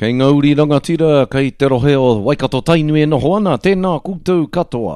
Kei ngā uri rangatira, kei te rohe o Waikato Tainui e noho ana, tēnā koutou katoa.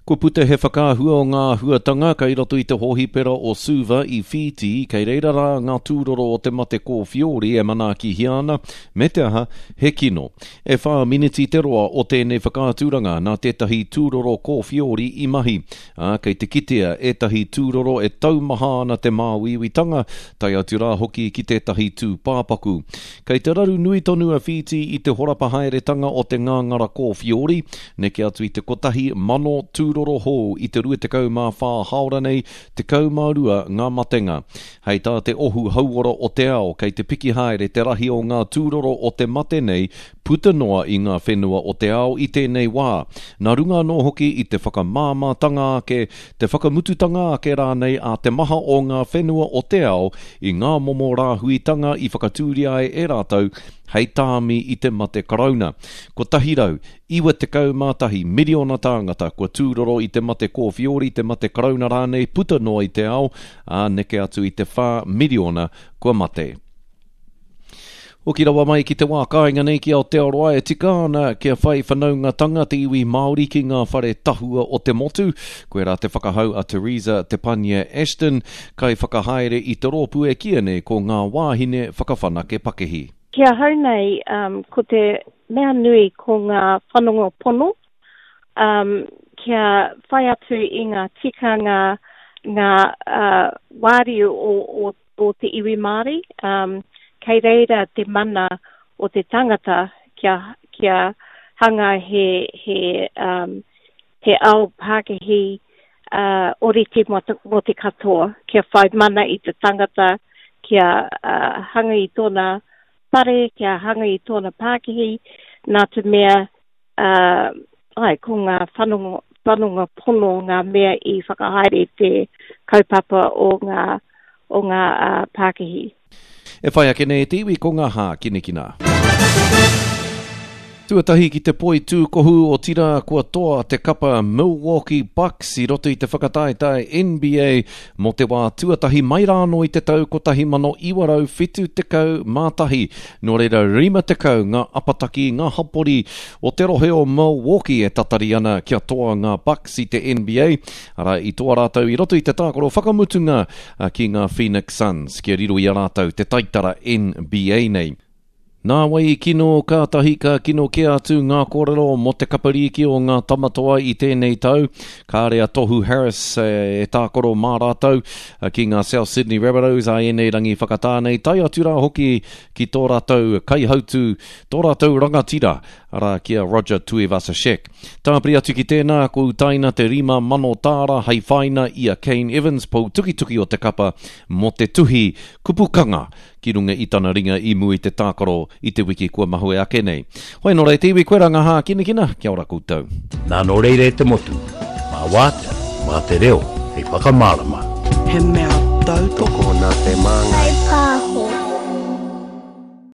Kua puta he whakaahua o ngā āhuatanga kei roto i te hōhipera o Suva i Whītī, kei reira rā ngā tūroro o te mate kōwhiori e manaakihia ana, me te aha, he kino. E whā miniti te roa o tēnei whakaaturanga nā tētahi tūroro kōwhiori i mahi, ā, kei te kitea ētahi tūroro e taumaha ana te māuiuitanga, tae atu rā hoki ki tētahi tūpāpaku. Kei te raru nui tonu a Whītī i te horapa haeretanga o te ngāngara kōwhiori, neke atu i te 1,000 tūroro hou i te 24 hāora nei, 12 ngā matenga. Hei tā te Ohu Hauora o te Ao, kei te piki haere te rahi o ngā tūroro o te mate nei puta noa i ngā whenua o te ao i tēnei wā, nā runga anō hoki i te whakamāmātanga ake, te whakamututanga ake rānei a te maha o ngā whenua o te ao i ngā momo rāhuitanga i whakatūria ai e rātou hei tāmi i te mate karauna. 191 miriona tāngata kua tūroro i te mate kōwhiori, te mate karauna rānei puta noa i te ao, ā, neke atu i te 4 miriona kua mate. Hoki rawa mai ki te wā kāinga nei ki Aotearoa e tika ana kia whai whanaungatanga te iwi Māori ki ngā whare tahua o te motu. Koirā te whakahau a Theresa Te Pania Ashton, kaiwhakahaere i te rōpū e kīia nei ko Ngā Wāhine Whakawhanake Pakihi. Ki ahau nei, ko te mea nui ko ngā whanonga pono, kia whai atu i ngā tikanga, ngā wāriu o o te iwi Māori, kei reira te mana o te tangata kia, kia hanga he, he, um, he ao Pākehī uh, orite mō te, mō te katoa, kia whai mana i te tangata, kia uh, hanga i tōna whare, kia hanga i tōna pākihi, nā te mea Ā, āe, ko ngā whanonga, whanonga pono ngā mea i whakahaere te kaupapa o ngā, o ngā pākihi. E whai ake nei e te iwi ko ngā hākinakina. Tuatahi ki te poi tūkohu, otirā kua toa te kapa Milwaukee Bucks i roto i te whakataetae NBA mō te wā tuatahi mai rā anō i te tau 1971. Nō reira, 50 ngā apataki, ngā hapori o te rohe o Milwaukee e tatari ana kia toa ngā Bucks i te NBA, arā, i toa rātou i roto i te tākaro whakamutunga ki ngā Phoenix Suns, kia riro i a rātou te taitara NBA nei. Nā wai i kino, kātahi ka kino kē atu ngā kōrero mō te kapa rīki o ngā Tamatoa i tēnei tau. Kāre a Tohu Harris e tākaro mā rātou ki ngā South Sydney Rabbitohs ā ēnei rangi whakatā nei, tae atu rā hoki ki tō rātou kaihautū, tō rātou rangatira, arā, ki a Roger Tuivasa-Sheck. Tāpiri atu ki tēnā, kua utaina te 5,000 tāra hei whaina i a Kane Evans, pou tukituki o te kapa, mō te tuhi kupu kanga ki runga i tana ringa i mua i te tākaro i te wiki kua mahue ake nei. Hoi nō reira te iwi, koe rā ngā hākinakina, kia ora koutou. Nā nō reira e te motu, mā wātea, mā te reo hei whakamārama. He mea tautoko. Tokona te māngai. Whai pā.